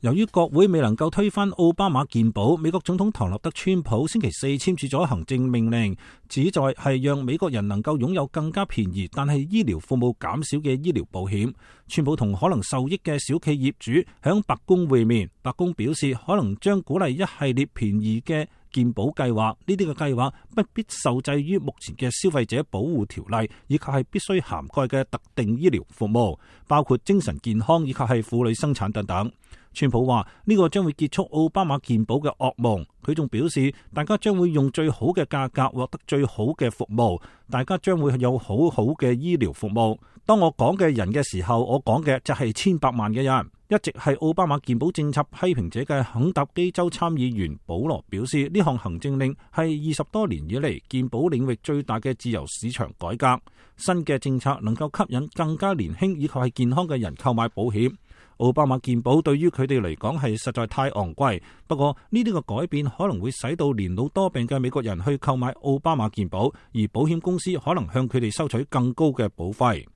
由於國會未能夠推翻奧巴馬健保，美國總統唐納德川普星期四簽署咗行政命令，旨在係讓美國人能夠擁有更加便宜但係醫療服務減少嘅醫療保險。川普同可能受益嘅小企業主響白宮會面，白宮表示可能將鼓勵一系列便宜嘅健保計劃，呢啲嘅計劃不必受制於目前嘅消費者保護條例，以及係必須涵蓋嘅特定醫療服務，包括精神健康以及係婦女生產等等。川普話呢個將會結束奧巴馬健保嘅噩夢。佢仲表示，大家將會用最好嘅價格獲得最好嘅服務，大家將會有好好嘅醫療服務。當我講嘅人嘅時候，我講嘅就係千百萬嘅人。一直係奧巴馬健保政策批評者嘅肯塔基州參議員保羅表示，呢項行政令係20多年以嚟健保領域最大嘅自由市場改革。新嘅政策能夠吸引更加年輕以及係健康嘅人購買保險。奧巴馬健保對於佢哋嚟講係實在太昂貴，不過呢啲嘅改變可能會使到年老多病嘅美國人去購買奧巴馬健保，而保險公司可能向佢哋收取更高嘅保費。